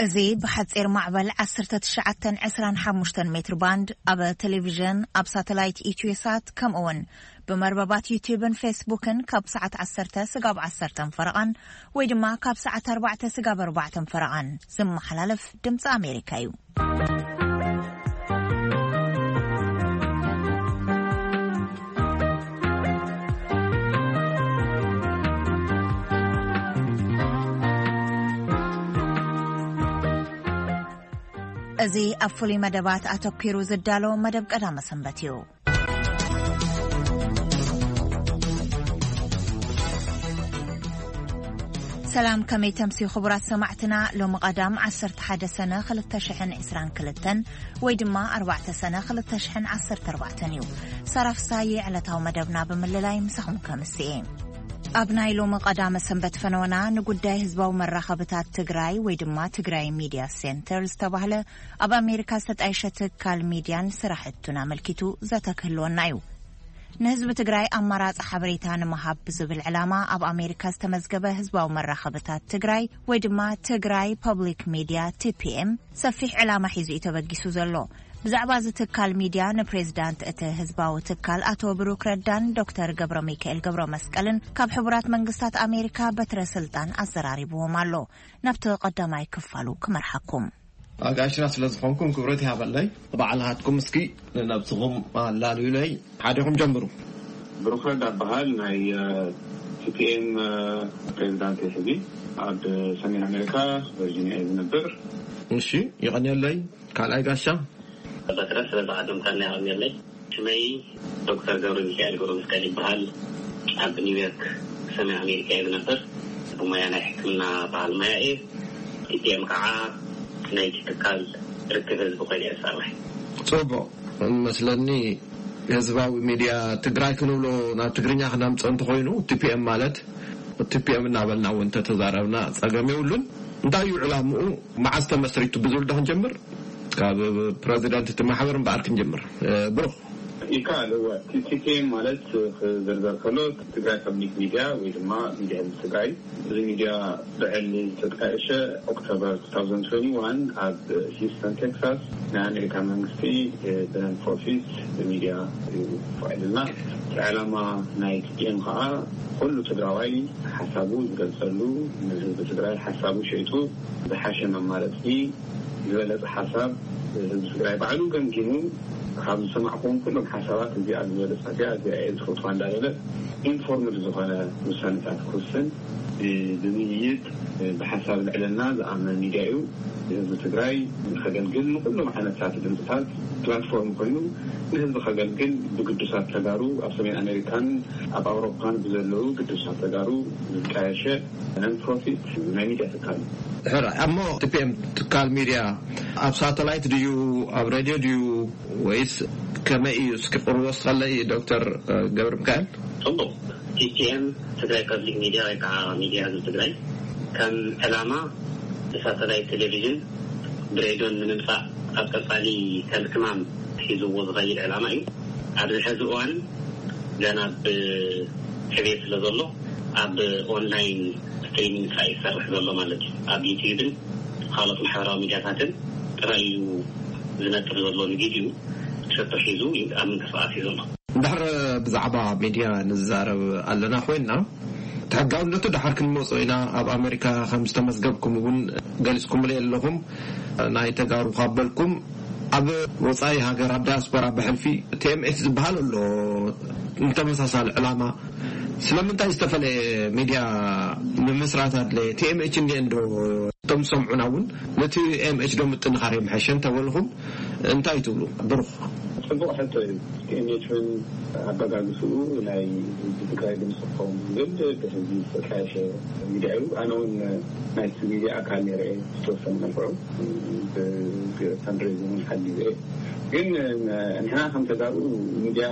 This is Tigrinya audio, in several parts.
እዚ ብሓጺር ማዕበል ዓሰርተ ትሽዓተ ዕስራን ሓሙሽተን ሜትር ባንድ፣ ኣብ ቴሌቪዥን፣ ኣብ ሳተላይት ኢትዮሳት፣ ከምኡ እውን ብመርበባት ዩቲዩብን ፌስቡክን ካብ ሰዓት ዓሰርተ ስጋብ ዓሰርተ ፈረቓን ወይ ድማ ካብ ሰዓት ኣርባዕተ ስጋብ ኣርባዕተ ፈረቓን ዝመሓላለፍ ድምፂ ኣሜሪካ እዩ። እዚ ኣብ ፍሉይ መደባት ኣተኲሩ ዝዳሎ መደብ ቀዳመ ሰንበት እዩ። ሰላም፣ ከመይ ተምስዩ ክቡራት ሰማዕትና? ሎሚ ቀዳም ዓሰርተ ሓደ ሰነ ክልተ ሽሕን ዕስራን ክልተን ወይ ድማ ኣርባዕተ ሰነ ክልተ ሽሕን ዓሰርተ ኣርባዕተን እዩ። ሳራ ፍሳዬ ዕለታዊ መደብና ብምልላይ ምሳኹም ከምስኤ። ኣብ ናይ ሎሚ ቀዳመ ሰንበት ፈነወና ንጉዳይ ህዝባዊ መራኸብታት ትግራይ ወይ ድማ ትግራይ ሚድያ ሴንተር ዝተባህለ ኣብ ኣሜሪካ ዝተጣየሸ ትካል ሚድያን ስራሕቱን ኣመልኪቱ ዘተ ክህልወና እዩ። ንህዝቢ ትግራይ ኣማራፂ ሓበሬታ ንምሃብ ብዝብል ዕላማ ኣብ ኣሜሪካ ዝተመዝገበ ህዝባዊ መራኸብታት ትግራይ ወይ ድማ ትግራይ ፐብሊክ ሚድያ፣ ቲ ፒ ኤም፣ ሰፊሕ ዕላማ ሒዙ እዩ ተበጊሱ ዘሎ። ብዛዕባ እዚ ትካል ሚድያ ንፕሬዝዳንት እቲ ህዝባዊ ትካል ኣቶ ብሩክ ረዳን ዶክተር ገብረ ሚካኤል ገብረ መስቀልን ካብ ሕቡራት መንግስታት ኣሜሪካ በትረ ስልጣን ኣዘራሪብዎም ኣሎ። ናብቲ ቀዳማይ ክፋሉ ክመርሓኩም። ኣጋሽና ስለ ዝኾንኩም ክብረት ይሃበለይ። ባዕልኻትኩም እስኪ ንነብስኹም ኣላልዩለይ፣ ሓዲኹም ጀምሩ። ብሩክ ረዳ በሃል፣ ናይ ቲ ፒ ኤም ፕሬዚዳንት ሕዚ ኣብ ሰሜን ኣሜሪካ ቨርጂኒያ እዩ ዝነብር። እሺ፣ ይቐንየለይ። ካልኣይ ጋሻ? በትረ፣ ስለ ዝዓደምካና ይቐንየለይ። ሽመይ ዶክተር ገብረ ሚካኤል ገብረ መስቀል ይበሃል። ኣብ ኒውዮርክ ሰሜን ኣሜሪካ እየ ዝነብር። ብሞያ ናይ ሕክምና በዓል ሞያ እየ። ቲ ፒ ኤም ከዓ ናይቲ ትካል ርክብ ህዝቢ ኮይኑ እየ ዝሰርሕ። ጽቡቕ። መስለኒ ህዝባዊ ሚድያ ትግራይ ክንብሎ ናብ ትግርኛ ክነምጽኦ እንተኾይኑ፣ ቲ ፒ ኤም ማለት ቲ ፒ ኤም እናበልና እውን እንተተዛረብና ጸገም የብሉን። እንታይ እዩ ዕላምኡ? መዓዝ ተመስሪቱ ብዝብል ዶ ክንጀምር? ካብ ፕረዚደንት እቲ ማሕበር እምበኣር ክንጀምር። እ፣ ብሩኽ። ይከኣል፣ እወ። ቲ ቲ ፒ ኤም ማለት ክዝርዘር ከሎ ትግራይ ፐብሊክ ሚድያ ወይ ድማ ሚድያ ህዝቢ ትግራይ። እዚ ሚድያ ብዕሊ ዝተጣየሸ ኦክቶበር two thousand twenty-one ኣብ ሂውስተን ቴክሳስ ናይ ኣሜሪካ መንግስቲ ብነን ፕሮፊት ሚድያ እዩ ፈቒድልና። እቲ ዕላማ ናይ ቲ ፒ ኤም ከዓ ኩሉ ትግራዋይ ሓሳቡ ዝገልፀሉ፣ ንህዝቢ ትግራይ ሓሳቡ ሸይጡ ዝሓሸ መማረፂ፣ ዝበለፀ ሓሳብ ህዝቢ ትግራይ ባዕሉ ገምጊሙ ካብ ዝሰማዕኩዎም ኩሎም ሓሳባት እዚኣ ዝበለፀት እያ፣ እዚኣ እየ ዝፈትዋ እንዳበለ ኢንፎርምድ ዝኾነ ውሳነታት ክውስን ብ-፣ ብምይይጥ ብሓሳብ ልዕልና ዝኣምን ሚድያ እዩ። ንህዝቢ ትግራይ ከገልግል ንኩሎም ዓይነታት ድምፅታት ፕላትፎርም ኮይኑ ንህዝቢ ከገልግል ብግዱሳት ተጋሩ ኣብ ሰሜን ኣሜሪካን ኣብ ኣውሮፓን ብዘለዉ ግዱሳት ተጋሩ ዝጣየሸ ነን ፕሮፊት ናይ ሚድያ ትካል እዩ። ሕራይ፣ እሞ ቲ ፒ ኤም ትካል ሚድያ ኣብ ሳተላይት ድዩ፣ ኣብ ሬድዮ ድዩ፣ ወይስ ከመይ እዩ? እስኪ ቅርቦ እስኸለይ ዶክተር፣ እ፣ ገብረ ሚካኤል። ጽቡቕ። ቲ ፒ ኤም ትግራይ ፐብሊክ ሚድያ ወይ ከዓ ሚድያ ህዝቢ ትግራይ ከም ዕላማ ብሳተላይት ቴሌቪዥን ብሬድዮን ንምምጻእ ኣብ ቀጻሊ ከም ዕማም ሒዝዎ ዝኸይድ ዕላማ እዩ። ኣብዚ ሕዚ እዋን ገና ብዕቤት ስለ ዘሎ ኣብ ኦንላይን ስትሪሚንግ ጥራይ ይሰርሕ ዘሎ ማለት እዩ። ኣብ ዩቲዩብን ካልኦት ማሕበራዊ ሚድያታትን ጥራይ እዩ ዝነጥፍ ዘሎ። ንቪድዩ ሸቶ ሒዙ ኣብ ምንቅስቃስ እዩ ዘሎ። እንድሕር ብዛዕባ ሚድያ ንዛረብ ኣለና ኮይንና፣ እቲ ሕጋውነቱ ድሓር ክንመጾ ኢና። ኣብ ኣሜሪካ ከም ዝተመዝገብኩም እውን ገሊጽኩምለይ ኣለኹም። ናይ ተጋሩ ካብ በልኩም፣ ኣብ ወጻኢ ሃገር፣ ኣብ ዳያስፖራ ብሕልፊ ቲ ኤም ኤች ዝበሃል ኣሎ፣ ንተመሳሳሊ ዕላማ። ስለምንታይ ዝተፈለየ ሚድያ ምምስራት ኣድለየ? ቲ ኤም ኤች እንድየ እንዶ፣ እቶም ዝሰምዑና እውን ነቲ ኤም ኤች ዶ ምጥንኻር የምሐሸ እንተበልኹም እንታይ ትብሉ? ብሩኽ። ጽቡቕ ሕቶ እዩ። ቲ ኤም ኤች እውን ኣበጋግስኡ ናይ ህዝቢ ትግራይ ድምፂ ክኸውን ዝብል ብህዝቢ ዝተጣየሸ ሚድያ እዩ። ኣነ እውን ናይቲ ሚድያ ኣካል ነይረ እየ ዝተወሰነ መልክዑ። ብ-፣ ብ-፣ ፈንድሬዚንግ ሓጊዘ እየ። ግን ንሕና ከም ተጋሩ ሚድያ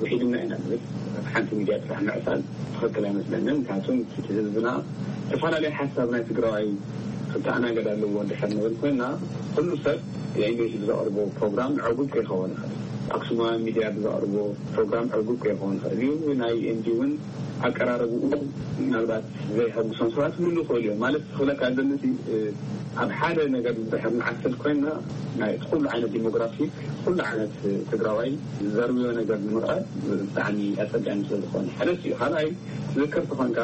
ውሒድና ኢና ንብል። ሓንቲ ሚድያ ጥራሕ ምዕሳል ትኽክል ኣይመስለንን። ምክንያቱም እቲ ህዝብና ዝተፈላለየ ሓሳብ ናይ ትግራዋይ ክተኣናገድ ኣለዎ እንድሕር ንብል ኮይንና፣ ኩሉ ሰብ የእንግሊሽ ብዘቕርቦ ፕሮግራም ዕጉብ ከይኸውን ይኽእል። ኣክሱማውያን ሚድያ ብዘቕርቦ ፕሮግራም ዕጉብ ከይኸውን ይኽእል እዩ። ናይ ኤምዲ እውን ኣቀራረብኡ ምናልባት ዘይሐጉሶም ሰባት ክህሉ ይኽእሉ እዮም። ማለት ክብለካ ዘለሲ ኣብ ሓደ ነገር ዝድሕር ንዓሰል ኮይና ናይ ኩሉ ዓይነት ዲሞግራፊ፣ ኩሉ ዓይነት ትግራዋይ ዝዘርብዮ ነገር ንምቕራብ ብጣዕሚ ኣጸጋሚ ስለ ዝኾነ ሓደ እዩ። ካልኣይ ትዝክር ተኾንካ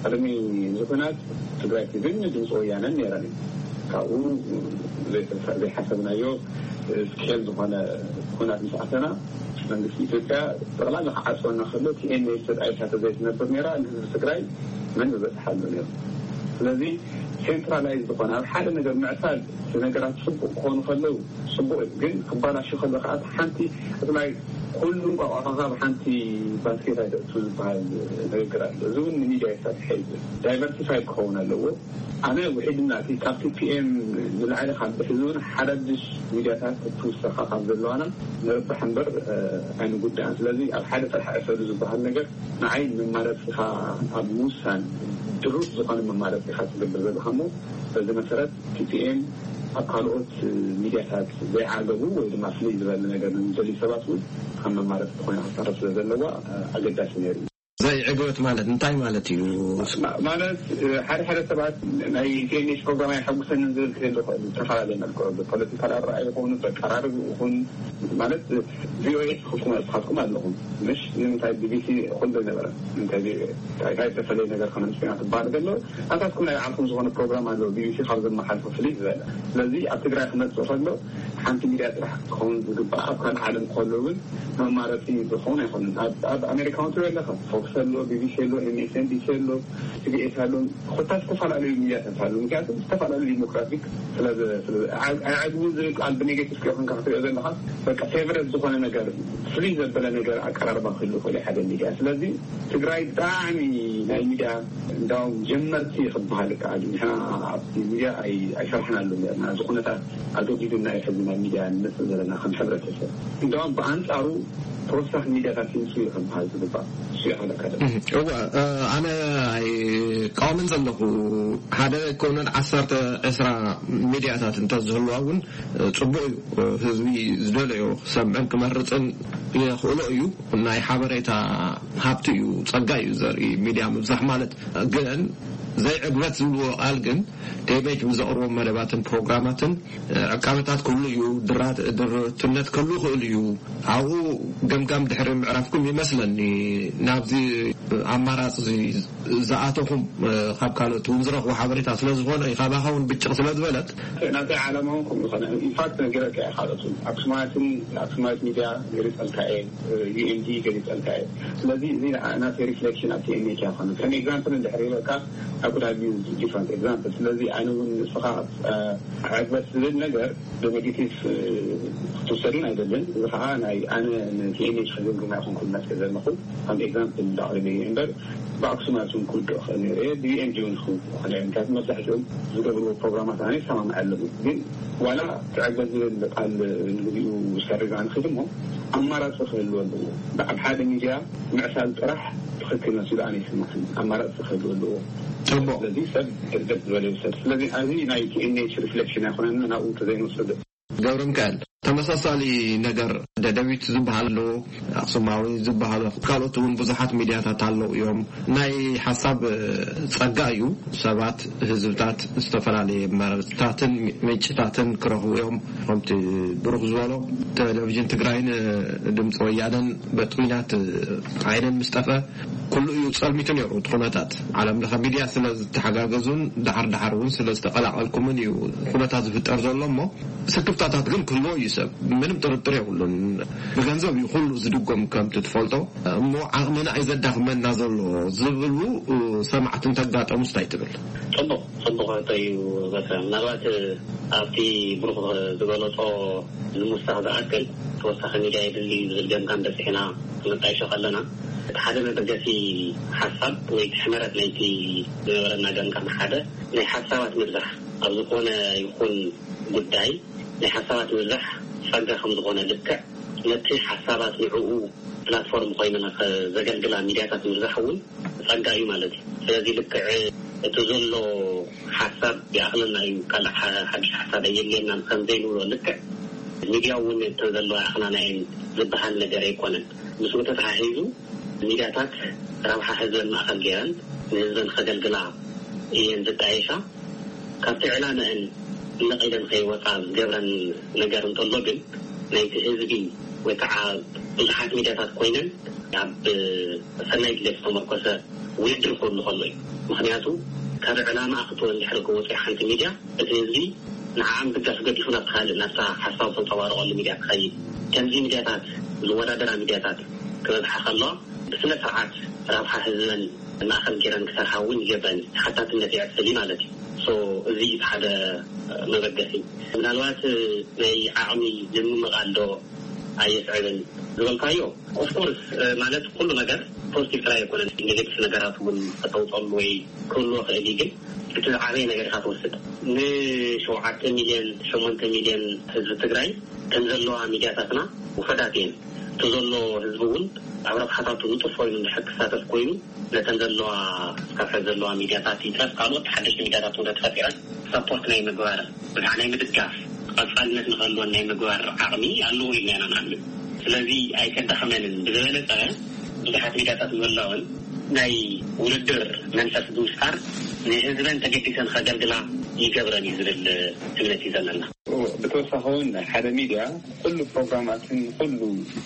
ቅድሚ ዝኹናት ትግራይ ቲቪን ድምፂ ወያነን ነይረን እዩ። ካብኡ ዘይሓሰብናዮ ስኬል ዝኾነ ኩናት ምስ ኣተና መንግስቲ ኢትዮጵያ ጠቕላላ ክዓፅወና ከሎ ቲኤንኤል ተጣይሳ ተዘይትነብር ነይራ ንህዝቢ ትግራይ መን ዝበፅሓሉ ነይሩ። ስለዚ ሴንትራላይዝ ዝኾነ ኣብ ሓደ ነገር ምዕሳል እቲ ነገራት ፅቡቅ ክኾኑ ከለዉ ፅቡቅ እዩ። ግን ክባላሹ ከሎ ከዓ ሓንቲ እትላይ ኩሉ እንቋቋሖካ ብሓንቲ ባስኬት ኣይተእቱ ዝበሃል ንግግር ኣሎ። እዚ እውን ንሚድያ ይሰርሐ እዩ። ዳይቨርሲፋይድ ክኸውን ኣለዎ። ኣነ ውሒድና እቲ ካብ ቲፒኤም ንላዕሊ ካብ ብሕዚ እውን ሓዳድሽ ሚድያታት ክትውሰኻ ካብ ዘለዋና ንርባሕ እምበር ኣይንጉዳእን። ስለዚ ኣብ ሓደ ጥራሕ ዕሰሉ ዝበሃል ነገር ንዓይ መማረፂኻ ኣብ ምውሳን ድሩት ዝኾነ መማረፂኻ ትገብር ዘለኻ እሞ በዚ መሰረት ቲፒኤም ኣብ ካልኦት ሚድያታት ዘይዓገቡ ወይ ድማ ፍልይ ዝበለ ነገር ንደልዩ ሰባት እውን ከም መማረፂ ዝኾነ ክሳረፍ ስለ ዘለዋ ኣገዳሲ ነይሩ እዩ። ዘይዕግበት ማለት እንታይ ማለት እዩ? ማለት ሓደ ሓደ ሰባት ናይ ቲኤንኤች ፕሮግራም ኣይሐጉሰንን ዝብል ክህሉ ይኽእል። ዝተፈላለዩ መልክዑ ብፖለቲካል ኣረኣእያ ይኹን በቀራርብ ይኹን ማለት ቪኦኤ ትኽፍኩም ስኻትኩም ኣለኹም ምሽ ንምንታይ ቢቢሲ ኩሉ ነበረ እንታይ ቪኦኤ እንታይ ዝተፈለየ ነገር ከመንፅና ትበሃል ከሎ ኣታትኩም ናይ ዓኹም ዝኾነ ፕሮግራም ኣለዎ። ቢቢሲ ካብ ዘመሓልፎ ፍልይ ዝበለ ስለዚ ኣብ ትግራይ ክመፅእ ከሎ ሓንቲ ሚድያ ጥራሕ ክኸውን ዝግባእ ኣብ ካልእ ዓለም ከሎ እውን መማረፂ ዝኸውን ኣይኮንን። ኣብ ኣሜሪካ እውን ትሪኦ ኣለካ ፎክስ ኣሎ፣ ቢቢሲ ኣሎ፣ ኤምኤስኤንቢሲ ኣሎ፣ ሲቢኤስ ኣሎ፣ ኮታ ዝተፈላለዩ ሚድያታት ኣሎ። ምክንያቱ ዝተፈላለዩ ዲሞክራቲክ ኣይዕግቡ ዝብል ቃል ብኔጌቲቭ ከይኮንካ ክትሪኦ ዘለካ በቃ ፌቨረት ዝኾነ ነገር ፍሉይ ዘበለ ነገር ኣቀራርባ ክህሉ ይኽእል ሓደ ሚድያ። ስለዚ ትግራይ ብጣዕሚ ናይ ሚድያ እንዳውም ጀመርቲ ክበሃል ከኣል ንሕና ኣብቲ ሚድያ ኣይሰርሕናሉ ነርና እዚ ኩነታት ኣገዲዱና እዩ ሕዚ ናብ ሚድያ ንመፅእ ዘለና ከም ሕብረተሰብ። እንዳውም ብኣንፃሩ ተወሳኺ ሚድያታት ይምፅኡ እዩ ክበሃል ዝግባእ እሱ ይኸለካ እወ። ኣነ ኣይቃወምን ዘለኹ ሓደ ኣይኮነን ዓሰርተ ዕስራ ሚድያታት እንተዝህልዋ እውን ፅቡቅ እዩ። ህዝቢ ዝደለዮ ክሰምዕን ክመርፅን የኽእሎ እዩ። ናይ ሓበሬታ ሃብቲ እዩ፣ ፀጋ እዩ ዘርኢ ሚድያ ምብዛሕ ማለት። ግን ዘይዕግበት ዝብልዎ ቃል ግን ቴቤጅ ብዘቕርቦም መደባትን ፕሮግራማትን ዕቃበታት ክህሉ እዩ፣ ድርትነት ክህሉ ይኽእል እዩ። ኣብኡ ገምጋም ድሕሪ ምዕራፍኩም ይመስለኒ ናብዚ ኣማራፂ ዝኣተኹም ካብ ካልኦት እውን ዝረኽቡ ሓበሬታ ስለዝኾነ እዩ ካባኻ እውን ብጭቕ ስለዝበለት ናተይ ዓላማ እውን ከምኡ ዝኾነ ኢንፋክት ነጊረካ እየ። ካልኦት እውን ኣክሱማትን ኣክሱማት ሚድያ ገሊፀልካ እየ፣ ዩኤምዲ ገሊፀልካ እየ። ስለዚ እዚ ናተይ ሪፍሌክሽን ኣብ ቲኤንኤች እያ ዝኾነ ከም ኤግዛምፕል እንድሕር ሂበካ ኣኩዳቢ ዲፍረንት ኤግዛምፕል። ስለዚ ኣነ እውን ንስኻ ዕግበት ዝብል ነገር ብኔጌቲቭ ክትወሰድን ኣይደልን። እዚ ከዓ ናይ ኣነ ንቲኤንኤች ክዝምግማ ይኹን ክመልከ ዘለኹ ከም ኤግዛምፕል ዳቅርብ እየ እምበር ብኣክሱማት እውን ክውድኦ ክእል ነይረ እየ ብዩኤንጂ እውን ክውድኦ ክእል እየ ምክንያቱ መብዛሕትኦም ዝገብርዎ ፕሮግራማት ኣነ ይሰማምዐሎም ግን ዋላ ትዕግበት ዝብል ቃል ንግዚኡ ዝሰርግ ኣንክድ እሞ ኣማራፂ ክህልዎ ኣለዎ። ኣብ ሓደ ሚድያ ምዕሳል ጥራሕ ትኽክል መሲሉ ኣነ ይስማዕኒ። ኣማራፂ ክህልዎ ኣለዎ። ፅቡቅ ስለዚ ሰብ ሕደት ዝበለ ይውሰድ። ስለዚ ኣብዚ ናይ ቲኤንኤች ሪፍሌክሽን ኣይኮነን ናብኡ ተዘይንወስድ ገብረ ሚካኤል ተመሳሳሊ ነገር ደደቢት ዝበሃል ኣሎ ኣክሱማዊ ዝበሃል ካልኦት እውን ብዙሓት ሚድያታት ኣለዉ እዮም ናይ ሓሳብ ፀጋ እዩ ሰባት ህዝብታት ዝተፈላለየ መረብታትን ምንጭታትን ክረኽቡ እዮም ከምቲ ብሩክ ዝበሎ ቴሌቪዥን ትግራይን ድምፂ ወያነን በጥሚናት ዓይነን ምስጠፈ ኩሉ እዩ ፀልሚቱ ነይሩ እቲ ኩነታት ዓለም ለኸ ሚድያ ስለ ዝተሓጋገዙን ዳሓር ዳሓር እውን ስለ ዝተቀላቀልኩምን እዩ ኩነታት ዝፍጠር ዘሎ እሞ ስክፍታታት ግን ክህልዎ እዩ ሰብ ምንም ጥርጥር የብሉን። ብገንዘብ እዩ ኩሉ ዝድጎም ከምቲ ትፈልጦ እሞ ዓቕምና እዩ ዘዳኽመና ዘሎ ዝብሉ ሰማዕቲ እንተጋጠሙስ እንታይ ትብል? ፅቡቅ ፅቡቅ ሕቶ እዩ በትረ ምናልባት ኣብቲ ብሩክ ዝገለፆ ንምውሳኽ ዝኣክል ተወሳኺ ሚድያ የድሊ ዝብል ገምጋም በፂሕና ክንጣይሾ ከለና እቲ ሓደ መበገሲ ሓሳብ ወይ እቲ ሕመረት ናይቲ ዝነበረና ገምጋም ሓደ ናይ ሓሳባት ምብዛሕ ኣብ ዝኾነ ይኹን ጉዳይ ናይ ሓሳባት ምብዛሕ ጸጋ ከም ዝኾነ ልክዕ ነቲ ሓሳባት ንዕኡ ፕላትፎርም ኮይነን ዘገልግላ ሚድያታት ምብዛሕ እውን ጸጋ እዩ ማለት እዩ። ስለዚ ልክዕ እቲ ዘሎ ሓሳብ ይኣኽለና እዩ፣ ካልእ ሓድሽ ሓሳብ ኣየድልየናን ከም ዘይንብሎ ልክዕ ሚድያ እውን እተን ዘለዋ ይኣኽላና እየን ዝበሃል ነገር ኣይኮነን። ምስኡ ተተሓሒዙ ሚድያታት ረብሓ ህዝበን ማእኸል ገይረን ንህዝበን ከገልግላ እየን ዝጣየሻ። ካብቲ ዕላመአን ነቒለን ከይወፃ ዝገብረን ነገር እንተሎ ግን፣ ናይቲ ህዝቢ ወይ ከዓ ብዙሓት ሚድያታት ኮይነን ኣብ ሰናይ ድሌት ዝተመርኮሰ ውድድር ክህሉ ከሎ እዩ። ምክንያቱ ካብ ዕላማ ክትወ እንድሕር ክወፅእ ሓንቲ ሚድያ፣ እቲ ህዝቢ ንዓኣ ምድጋፍ ገዲፉ ናብቲ ካልእ ናብታ ሓሳብ ተንፀባርቐሉ ሚድያ ክኸይድ፣ ከምዚ ሚድያታት ዝወዳደራ ሚድያታት ክበዝሓ ከለዋ፣ ብስነ ስርዓት ረብሓ ህዝበን ማእኸል ገይረን ክሰርሓ እውን ይገብረን፣ ተሓታትነት የዕፅል ማለት እዩ። ሶ እዚ እዩ ሓደ መበገሲ። ምናልባት ናይ ዓቕሚ ምምቓል ዶ ኣየስዕብን ዝበልካዮ፣ ኦፍኮርስ፣ ማለት ኩሉ ነገር ፖዚቲቭ ጥራይ ኣይኮነን። ኔጌቲቭ ነገራት እውን ከተውፀሉ ወይ ክህልዎ ክእል እዩ። ግን እቲ ዝዓበየ ነገር ኢኻ ትወስድ። ንሸውዓተ ሚልዮን ሸሞንተ ሚልዮን ህዝቢ ትግራይ ከም ዘለዋ ሚድያታትና ውሑዳት እየን። እቲ ዘሎ ህዝቢ እውን ኣብ ረብሓታቱ ንጡፍ ኮይኑ እንድሕር ክሳተፍ ኮይኑ፣ ነተን ዘለዋ፣ እስካብ ሕዚ ዘለዋ ሚድያታት ይትረፍ ካልኦት ሓደሽቲ ሚድያታት እውን ተፈጢረን ሰፖርት ናይ ምግባር፣ ብዝሓ ናይ ምድጋፍ፣ ቀፃልነት ንክህልወን ናይ ምግባር ዓቕሚ ኣለዎ ኢልና ኢና ንኣምን። ስለዚ ኣይከዳኸመንን። ብዝበለፀ ብዙሓት ሚድያታት ምህላወን ናይ ውድድር መንፈስ ብምፍጣር ንህዝበን ተገዲሰን ከገልግላ ይገብረን እዩ ዝብል እምነት እዩ ዘለና። ብተወሳኺ እውን ሓደ ሚድያ ኩሉ ፕሮግራማትን ኩሉ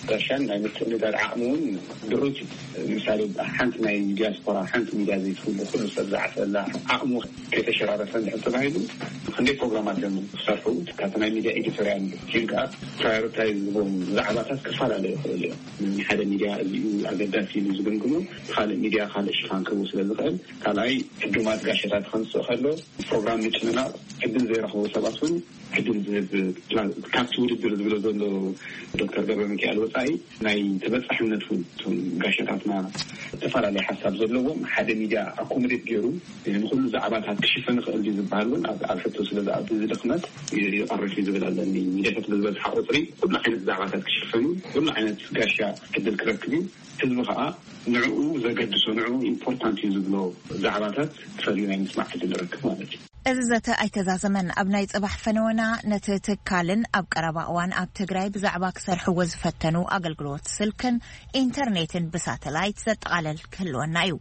ጋሻን ናይ ምትእንጋድ ዓቕሚ እውን ድሩት እዩ። ንምሳሌ ሓንቲ ናይ ዲያስፖራ ሓንቲ ሚድያ ዘይትህሉ ኩሉ ሰብ ዝዓፈላ ዓቕሙ ከይተሸራረፈ እንድሕር ተባሂሉ ክንደይ ፕሮግራማት እዮም ክሰርሑ። ካብቲ ናይ ሚድያ ኤዲቶሪያል ቲም ከዓ ፕራዮሪታይዝ ዝቦም ዛዕባታት ክፈላለዩ ይኽእሉ እዮም። ሓደ ሚድያ እዚኡ ኣገዳሲ ኢሉ ዝግምግሞ ካልእ ሚድያ ካልእ ሽፋን ክህቡ ስለ ዝኽእል፣ ካልኣይ ዕዱማት ጋሸታት ከንስእ ከሎ ፕሮግራም ምጭንናቕ ዕድል ዘይረኽቡ ሰባት እውን ዕድል ዝህብ ፕላን ካብቲ ውድድር ዝብሎ ዘሎ ዶክተር ገብረ ሚካኤል ወፃኢ ናይ ተበፃሕነት እውን እቶም ጋሸታትና ዝተፈላለየ ሓሳብ ዘለዎም ሓደ ሚድያ ኣኮሞዴት ገይሩ ንኩሉ ዛዕባታት ክሽፍን ይኽእል ድዩ ዝበሃል እውን ኣብ ኣብ ሕቶ ስለ ዝኣቱ እዚ ድኽመት ይቐርፍ እዩ ዝብል ኣለኒ። ሚድያታት ብዝበዝሓ ቁፅሪ ኩሉ ዓይነት ዛዕባታት ክሽፈን እዩ። ኩሉ ዓይነት ጋሻ ዕድል ክረክብ እዩ። ህዝቢ ከዓ ንዕኡ ዘገድሶ ንዕኡ ኢምፖርታንት እዩ ዝብሎ ዛዕባታት ፈልዩ ናይ ምስማዕ ዕድል ይረክብ ማለት እዩ። እዚ ዘተ ኣይተዛዘመን። ኣብ ናይ ጽባሕ ፈነወና ነቲ ትካልን ኣብ ቀረባ እዋን ኣብ ትግራይ ብዛዕባ ክሰርሕዎ ዝፈተኑ ኣገልግሎት ስልክን ኢንተርኔትን ብሳተላይት ዘጠቓለል ክህልወና እዩ።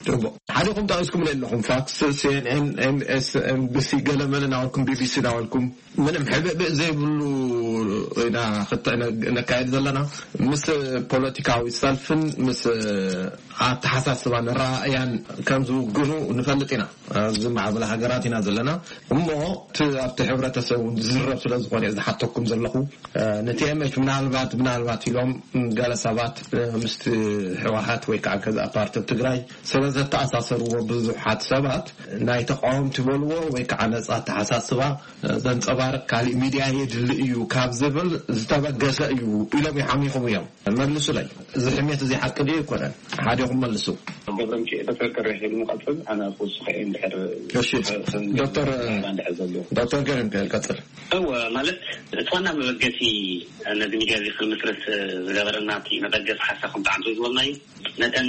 ጽቡቕ። ሓዲኹም ጠቒስኩም ኣለኹም፣ ፋክስ፣ ሲኤንኤን፣ ኤምኤስኤንቢሲ፣ ገለመለ እናበልኩም፣ ቢቢሲ እናበልኩም፣ ምንም ሕብእብእ ዘይብሉ ኢና ክተ-፣ ነ-፣ ነካየድ ዘለና። ምስ ፖለቲካዊ ሰልፍን ምስ ኣተሓሳስባን ራእያን ከም ዝውግኑ ንፈልጥ ኢና። ኣብ ዝማዕበላ ሃገራት ኢና ዘለና። እሞ እቲ ኣብቲ ሕብረተሰብ እውን ዝዝረብ ስለ ዝኾነ ዝሓተኩም ዘለኹ፣ እ፣ ንቲኤምኤች ምናልባት፣ ምናልባት ኢሎም ገለ ሰባት፣ እ፣ ምስቲ ህወሓት ወይ ከዓ ገዛእ ፓርቲ ኣብ ትግራይ ስለ ዘተኣሳሰርዎ ብዙሓት ሰባት ናይ ተቃወምቲ በልዎ ወይ ከዓ ነፃ ኣተሓሳስባ፣ እ፣ ዘንፀባርቕ ካሊእ ሚድያ የድሊ እዩ ካብ ዝብል ዝተበገሰ እዩ ኢሎም ይሓሚኹም እዮም። መልሱለይ፣ እዚ ሕሜት እዚ ሓቂ ድዩ ኣይኮነን? ሓዲኹም መልሱ። ገብረ ሚካኤል፣ ዶክተር ገብረ ሚካኤል ንቐጽል፣ ኣነ ክውስኸ እየ እንድሕር እሺ፣ ከም ዶክተር፣ እንድሕር ዘሎ። ዶክተር ገብረ ሚካኤል ቀጽል። እወ፣ ማለት እቲ ዋና መበገሲ ነዚ ሚድያ እዚ ክንምስርት ዝገበረና እቲ መበገሲ ሓሳብ ከም ብዓንቱ ዝበልናዩ፣ ነተን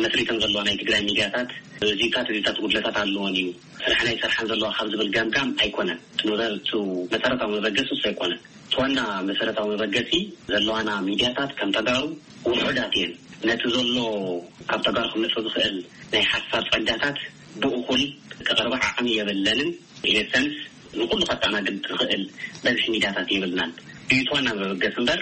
መስሪተን ዘለዋ ናይ ትግራይ ሚድያታት እዚታት እዚታት ጉድለታት ኣለዎን እዩ፣ ስራሕና ይሰርሓን ዘለዋ ካብ ዝብል ገምጋም ኣይኮነን። እቲ መበ-፣ እቲ መሰረታዊ መበገሲ እሱ ኣይኮነን። እቲ ዋና መሰረታዊ መበገሲ ዘለዋና ሚድያታት ከም ተጋሩ ውሑዳት እየን። ነቲ ዘሎ ካብ ተጋሩ ክመጽእ ዝኽእል ናይ ሓሳብ ጸጋታት ብእኹል ክቐርባ ዓቕሚ የብለንን። ኢን ኤሰንስ ንኹሉ ከተኣናግድ ዝኽእል በዝሒ ሚድያታት የብልናን። እዩ እቲ ዋና መበገሲ እምበር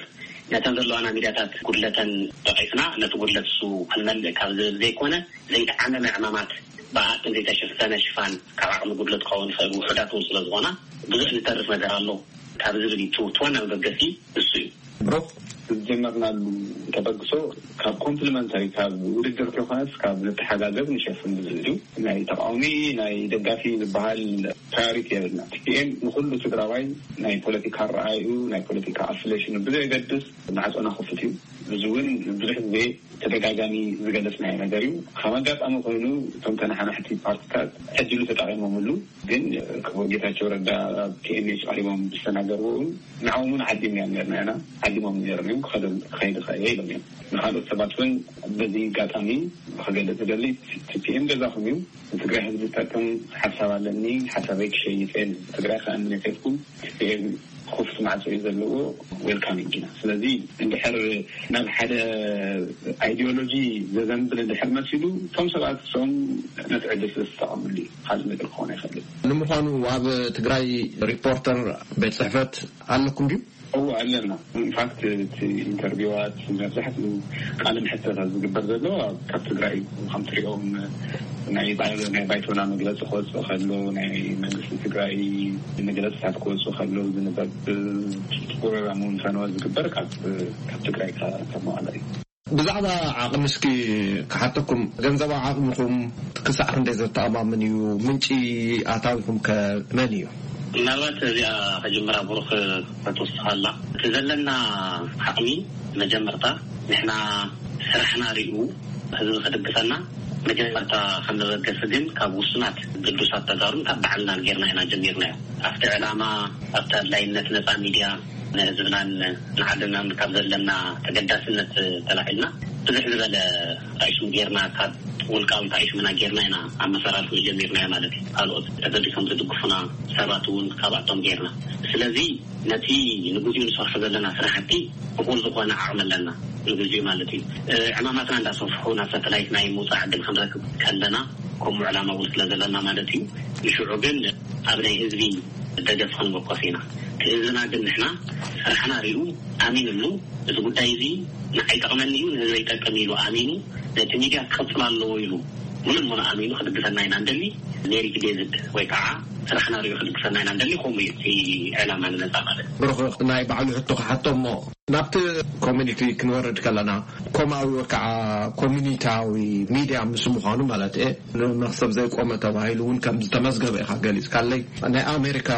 ነተን ዘለዋና ሚድያታት ጉድለተን ጠቒስና ነቲ ጉድለት እሱ ክንመልእ ካብ ዝብል ዘይኮነ ዘይተዓመመ ዕማማት ብኣትን ዘይተሸፈነ ሽፋን ካብ ዓቕሚ ጉድለት ክኸውን ይኽእል ውሑዳት እውን ስለ ዝኾና ብዙሕ ዝተርፍ ነገር ኣሎ ካብ ዝብል እዩ። እቲ ዋና መበገሲ እሱ እዩ። ብሩክ፣ ዝጀመርናሉ ተበግሶ ካብ ኮምፕሊመንታሪ፣ ካብ ውድድር ከይኮነስ ካብ ንተሓጋገዝ ንሸፍን ዝብል እዩ። ናይ ተቃዋሚ ናይ ደጋፊ ዝበሃል ፕራዮሪቲ የብልና። ቲፒኤም ንኩሉ ትግራዋይ ናይ ፖለቲካ ኣረኣእዩ ናይ ፖለቲካ ኣፍሌሽኑ ብዘየገድስ ማዕፆና ክፉት እዩ። እዚ እውን ብዙሕ ግዜ ተደጋጋሚ ዝገለጽናዮ ነገር እዩ። ከም ኣጋጣሚ ኮይኑ እቶም ተነሓናሕቲ ፓርቲታት ዕድሉ ተጠቒሞምሉ፣ ግን ክቡር ጌታቸው ረዳ ኣብ ቲኤምኤች ቀሪቦም ዝተናገርዎ እውን ንዕኦም እውን ዓዲምናዮም ነርና ኢና፣ ዓዲሞም ነይሮም እዮም፣ ክኸዱ-፣ ክኸይድ ይኽእል እየ ኢሎም እዮም። ንኻልኦት ሰባት እውን በዚ ኣጋጣሚ ክገልጽ ዝደሊ፣ ቲፒኤም ገዛኹም እዩ፣ ንትግራይ ህዝቢ ዝጠቅም ሓሳብ ኣለኒ፣ ሓሳበይ ክሸይጥ እየ፣ ንህዝቢ ትግራይ ክኣምን እየ ከይልኩም ቲፒኤም ክፉት ማዕጾ እዩ ዘለዎ። ዌልካሚንግ ኢና። ስለዚ እንድሕር ናብ ሓደ ኣይዲዮሎጂ ዘዘንብል እንድሕር መሲሉ፣ እቶም ሰባት እሶም ነቲ ዕድል ስለ ዝተጠቐምሉ እዩ። ካልእ ነገር ክኾን ኣይኽእልን። ንምዃኑ ኣብ ትግራይ ሪፖርተር ቤት ጽሕፈት ኣለኩም ድዩ? እዎ ኣለና። ኢንፋክት እቲ ኢንተርቪዋት መብዛሕትኡ ቃለ መሕተታት ዝግበር ዘሎ ኣብ- ካብ ትግራይ እዩ። ከም ትሪኦም ናይ ባይ- ናይ ባይቶና መግለፂ ክወፅእ ከሎ፣ ናይ መንግስቲ ትግራይ መግለፅታት ክወፅእ ከሎ ዝንበብ ፕሮግራም እውን ፈነወ ዝግበር ካብ ካብ ትግራይ ካብ መቐለ እዩ። ብዛዕባ ዓቕሚ እስኪ ክሓተኩም፣ ገንዘባዊ ዓቕምኹም ክሳዕ ክንደይ ዘተኣማምን እዩ? ምንጪ ኣታዊኹም ከ መን እዩ? ምናልባት እዚኣ ከጅምራ ብሩኽ ክትወስኻላ እቲ ዘለና ዓቕሚ መጀመርታ ንሕና ስራሕና ሪኡ ህዝቢ ክድግፈና መጀመርታ ከመበገሲ ግን ካብ ውሱናት ግዱሳት ተጋሩን ካብ ባዕልናን ጌርና ኢና ጀሚርናዮ። ኣብቲ ዕላማ ኣብቲ ኣድላይነት ነፃ ሚድያ ንህዝብናን ንዓድናን ካብ ዘለና ተገዳስነት ተላዒልና ብዙሕ ዝበለ ጣይሹም ጌርና ካብ ውልቃዊ ጣይሹምና ጌርና ኢና ኣመሰራርሑ ጀሚርናዮ ማለት እዩ። ካልኦት ተገዲሶም ዝድግፉና ሰባት እውን ካብኣቶም ጌርና። ስለዚ ነቲ ንግዚኡ ንሰርሖ ዘለና ስራሕቲ እኹል ዝኾነ ዓቕሚ ኣለና ንግዚኡ ማለት እዩ። ዕማማትና እንዳሰፍሑ ናብ ሳተላይት ናይ ምውፃእ ዕድል ክንረክብ ከለና ከምኡ ዕላማ እውን ስለ ዘለና ማለት እዩ። ንሽዑ ግን ኣብ ናይ ህዝቢ ደገፍ ክንምርኮስ ኢና። እቲ ህዝብና ግን ንሕና ስራሕና ሪኡ ኣሚንሉ፣ እዚ ጉዳይ እዚ ንዓይ ይጠቕመኒ እዩ ንህዝበይ ይጠቅም ኢሉ ኣሚኑ ነቲ ሚድያ ክቕፅል ኣለዎ ኢሉ ሙሉእ ሙሉእ ኣሚኑ ክድግፈና ኢና እንደሊ። ሜሪት ዴቪድ ወይ ከዓ ስራሕና ሪኡ ክድግፈና ኢና እንደሊ። ከምኡ እዩ እቲ ዕላማ ንመፃ ማለት እዩ። ብሩኽ ናይ ባዕሉ ሕቶ ክሓቶ እሞ ናብቲ ኮሚኒቲ ክንወርድ ከለና ኮማዊ ወይ ከዓ ኮሚኒታዊ ሚድያ ምስ ምዃኑ ማለት እየ ንመክሰብ ዘይቆመ ተባሂሉ እውን ከም ዝተመዝገበ ኢኻ ገሊፅካለይ። ናይ ኣሜሪካ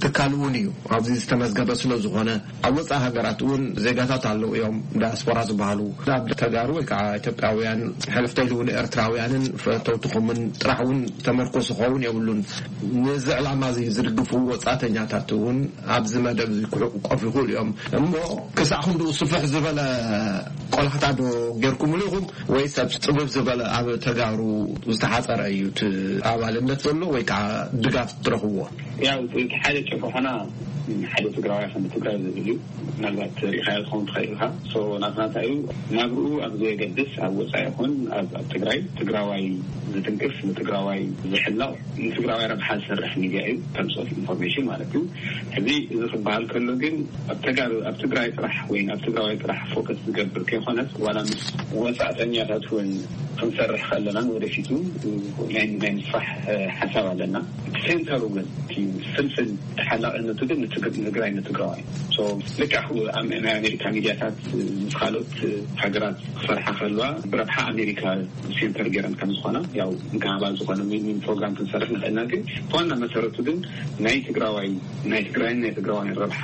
ትካል እውን እዩ ኣብዚ ዝተመዝገበ ስለ ዝኾነ ኣብ ወፃኢ ሃገራት እውን ዜጋታት ኣለዉ እዮም ዳያስፖራ ዝበሃሉ ናብ ተጋሩ ወይ ከዓ ኢትዮጵያውያን ሕልፍተይሉ እውን ኤርትራውያንን ፈተውትኹምን ጥራሕ እውን ተመርኮስ ክኸውን የብሉን። ነዚ ዕላማ እዚ ዝድግፉ ወፃእተኛታት እውን ኣብዚ መደብ እዚ ክሕቆፉ ይኽእሉ እዮም። እሞ ክሳዕ ክንድኡ ስፍሕ ዝበለ ቆላሕታ ዶ ጌርኩምሉ ኢኹም ወይስ ኣብ ፅብብ ዝበለ ኣብ ተጋሩ ዝተሓፀረ እዩ እቲ ኣባልነት ዘሎ ወይ ከዓ ድጋፍ ትረኽብዎ? ያው እቲ ሓደ ጭርሖና ሓደ ትግራዋይ ከም ትግራይ ዝብል እዩ። ምናልባት ሪኢኻዮ ትኸውን ትኽእል ኢኻ። ሶ ናትና እንታይ እዩ ናብርኡ ኣብ ዘየገድስ ኣብ ወፃኢ ይኹን ኣብ ኣብ ትግራይ ትግራዋይ ዝትንክፍ ንትግራዋይ ዝሕለቕ ንትግራዋይ ረብሓ ዝሰርሕ ሚድያ እዩ። ተርምስ ኦፍ ኢንፎርሜሽን ማለት እዩ። ሕዚ እዚ ክበሃል ከሎ ግን ኣብ ተጋሩ ኣብ ትግራይ ጥራሕ ወይ ኣብ ትግራዋይ ጥራሕ ፎከስ ዝገብር ከይኮነስ ዋላ ምስ ወፃእተኛታት እውን ክንሰርሕ ከለና ንወደፊቱ ናይ ናይ ምስፋሕ ሓሳብ ኣለና። እቲ ሴንተሩ ግን እቲ ፍልፍል ተሓላቕነቱ ግን ንትግራይ ንትግራዋይ። ልክዕ ናይ ኣሜሪካ ሚድያታት ምስ ካልኦት ሃገራት ክሰርሓ ከለዋ ብረብሓ ኣሜሪካ ሴንተር ገይረን ከም ዝኾና ያው ንካባል ዝኾነ ሚኒም ፕሮግራም ክንሰርሕ ንኽእልና ግን ዋና መሰረቱ ግን ናይ ትግራዋይ ናይ ትግራይን ናይ ትግራዋይን ረብሓ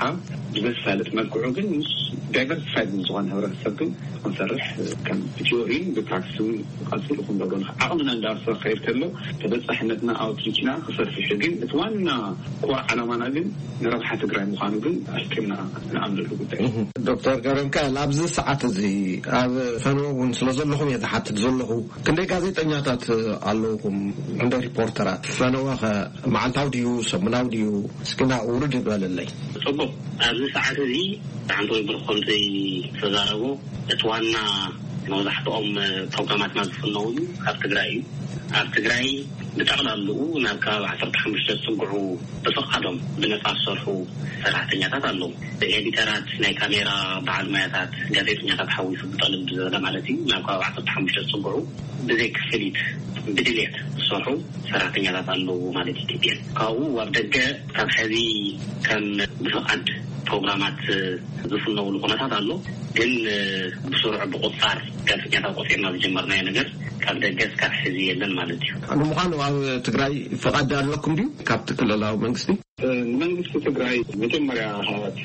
ብዘሳልጥ መልክዑ ግን ምስ ዳይቨርሲፋይድ ዝኾነ ህብረተሰብ ግን ክንሰርሕ ከም ብቲዮሪን ብፕራክቲስ እውን ቀፂሉ ክንገብሮ ንኽእል። ዓቕምና እንዳወሰኸ ከይድ ከሎ ተበፃሕነትና ኣውትሪችና ክሰፍሕ ግን እቲ ዋና ኮር ዓላማና ግን ንረብሓ ትግራይ ምዃኑ ግን ኣልክና ንኣምነሉ ጉዳይ። ዶክተር ገብረሚካኤል ኣብዚ ሰዓት እዚ ኣብ ፈነወ እውን ስለ ዘለኹም እየ ዝሓትት ዘለኹ። ክንደይ ጋዜጠኛታት ኣለውኹም? ክንደይ ሪፖርተራት? ፈነወኸ መዓልታዊ ድዩ ሰሙናዊ ድዩ? እስኪና ውርድ ይበለለይ። ፅቡቅ። ኣብዚ ሰዓት እዚ ሓንቲ ወይ ብርኮምተይ ተዛረቦ እቲ ዋና መብዛሕትኦም ፕሮግራማትና ዝፍነውሉ ካብ ትግራይ እዩ። ኣብ ትግራይ ብጠቕላልኡ ናብ ከባቢ ዓሰርተ ሓሙሽተ ዝፅግዑ ብፍቓዶም ብነፃ ዝሰርሑ ሰራሕተኛታት ኣለዉ። ኤዲተራት፣ ናይ ካሜራ በዓል ሞያታት፣ ጋዜጠኛታት ሓዊሱ ብጠልብ ዝበለ ማለት እዩ። ናብ ከባቢ ዓሰርተ ሓሙሽተ ዝፅግዑ ብዘይ ክፍሊት ብድሌት ዝሰርሑ ሰራሕተኛታት ኣለዉ ማለት እዩ። ቲፒኤል ካብኡ ኣብ ደገ ካብ ሕዚ ከም ብፍቓድ ፕሮግራማት ዝፍነውሉ ኩነታት ኣሎ። ግን ብስሩዕ ብቁፃር ጋዜጠኛታት ቆፂርና ዝጀመርናዮ ነገር ካብ ደገ እስካብ ሕዚ የለን ማለት እዩ። ንምዃኑ ኣብ ትግራይ ፍቓድ ኣለኩም ድዩ ካብቲ ክልላዊ መንግስቲ? ንመንግስቲ ትግራይ መጀመርያ ካብቲ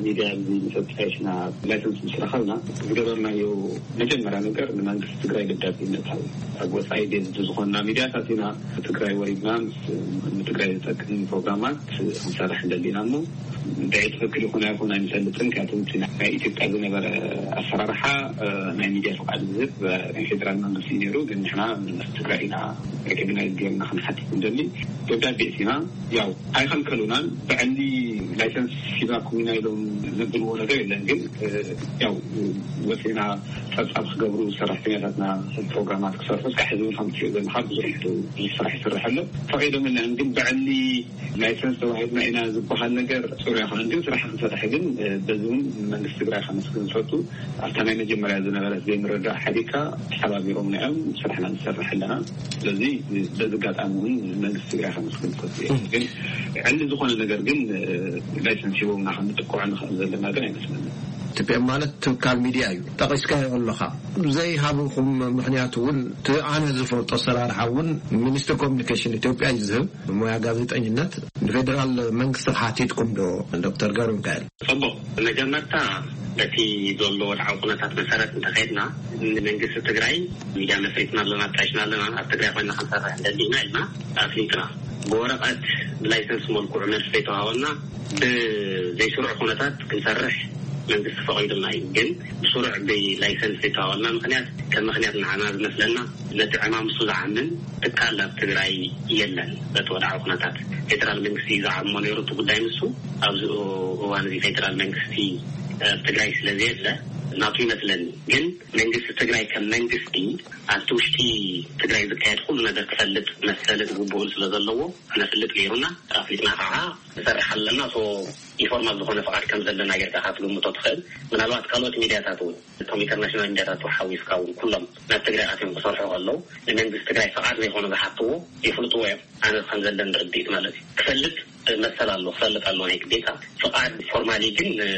ሚድያ እዚ ምስ ኣጣየሽና፣ ላይሰንስ ምስ ረኸብና፣ ዝገበርናዮ መጀመርያ ነገር ንመንግስቲ ትግራይ ደብዳቤ ምእታው። ኣብ ወፃኢ ቤዝድ ዝኾንና ሚድያታት ኢና። ትግራይ ወሪድና ምስ ንትግራይ ዝጠቅም ፕሮግራማት ክንሰርሕ እንደሊና እሞ እንታይ ትኽክል ይኹን ኣይኹን ኣይንፈልጥን። ምክንያቱ እቲ ናይ ኢትዮጵያ ዝነበረ ኣሰራርሓ፣ እ፣ ናይ ሚድያ ፍቓድ ዝህብ፣ እ፣ ናይ ፌደራል መንግስቲ እዩ ነይሩ። ግን ንሕና ምስ ትግራይ ኢና ሬኮግናይዝ ጌርና ክንሓትት እንደሊ ደብዳቤ እቲና። ያው ኣይኸልከሉናን። ብዕሊ ላይሰንስ ሂባኩም ኢና ኢሎም ዘብልዎ ነገር የለን። ግን፣ እ፣ ያው ወፂና ጸብጻብ ክገብሩ፣ ሰራሕተኛታትና ፕሮግራማት ክሰርሑ፣ እስካዕ ሕዚ እውን ከም ትሪኦ ዘለኻ ብዙሕ፣ ብዙሕ ስራሕ ይስራሕ ኣሎ። ፈቒዶምልና እዮም። ግን ብዕሊ ላይሰንስ ተዋሂብና ኢና ዝበሃል ነገር ጽሩይ ኣይኮነን። ግን ስራሕ ክንሰርሕ ግን፣ እ፣ በዚ እውን መንግስቲ ትግራይ ከመስግን ዝፈቱ። ኣብታ ናይ መጀመርያ ዝነበረት ዘይምርዳእ ሓዲግካ ተሓባቢሮምና እዮም፣ ስራሕና ንሰርሕ ኣለና። ስለዚ በዚ ኣጋጣሚ እውን መንግስቲ ትግራይ ከመስግን ዝፈቱ እየ። ግን ዕሊ ዝኾነ ነገር ግን፣ እ፣ ላይሰንስ ሂቦምና ክንጥቅዖ ንኽእል ዘለና ግን ኣይመስለንን። ቲ ፒ ኤም ማለት ትካል ሚድያ እዩ። ጠቒስካዮ ኣለኻ። ዘይሃብኹም ምኽንያት እውን፣ እቲ ኣነ ዝፈልጦ ኣሰራርሓ እውን ሚኒስትሪ ኮሚኒኬሽን ኢትዮጵያ እዩ ዝህብ። ሞያ ጋዜጠኝነት ንፌደራል መንግስቲ ሓቲትኩም ዶ፣ ዶክተር ገብረ ሚካኤል? ጽቡቕ። መጀመርታ በቲ ዘሎ ወድዓዊ ኩነታት መሰረት እንተኸድና፣ ንመንግስቲ ትግራይ ሚድያ መስሪትና ኣለና፣ ኣጣይሽና ኣለና፣ ኣብ ትግራይ ኮይና ክንሰርሕ እንደሊና ኢልና ኣፍሊጥና። ብወረቐት ብላይሰንስ መልክዑ መልሲ ዘይተዋሃበና፣ ብዘይስሩዕ ኩነታት ክንሰርሕ መንግስቲ ፈቒዱልና እዩ። ግን ብስሩዕ ብላይሰንስ ዘይተዋሃበና ምኽንያት፣ ከም ምኽንያት ንዓና ዝመስለና፣ ነቲ ዕማም እሱ ዝዓምን ትካል ኣብ ትግራይ የለን። በቲ ወድዓዊ ኩነታት ፌደራል መንግስቲ እዩ ዝዓሞ ነይሩ እቲ ጉዳይ ንሱ። ኣብዚ እዋን እዚ ፌደራል መንግስቲ ኣብ ትግራይ ስለ ዘየለ ናቱ ይመስለኒ። ግን መንግስቲ ትግራይ ከም መንግስቲ ኣብቲ ውሽጢ ትግራይ ዝካየድ ኩሉ ነገር ክፈልጥ መሰልን ግቡእን ስለ ዘለዎ ክነፍልጥ ነይሩና። ኣፍሊጥና ከዓ ንሰርሕ ኣለና። ሶ ኢንፎርማል ዝኾነ ፍቓድ ከም ዘለና ጌርካ ክትግምቶ ትኽእል። ምናልባት ካልኦት ሚድያታት እውን፣ እቶም ኢንተርናሽናል ሚድያታት ሓዊስካ እውን፣ ኩሎም ናብ ትግራይ ኣትዮም ክሰርሑ ከለዉ ንመንግስቲ ትግራይ ፍቓድ ዘይኮነ ዝሓትዎ ይፍልጥዎ እዮም። ኣነ ከም ዘለኒ ርድኢት ማለት እዩ። ክፈልጥ መሰል ኣሎ፣ ክፈልጥ ኣሎ ናይ ግዴታ። ፍቓድ ፎርማሊ ግን፣ እ፣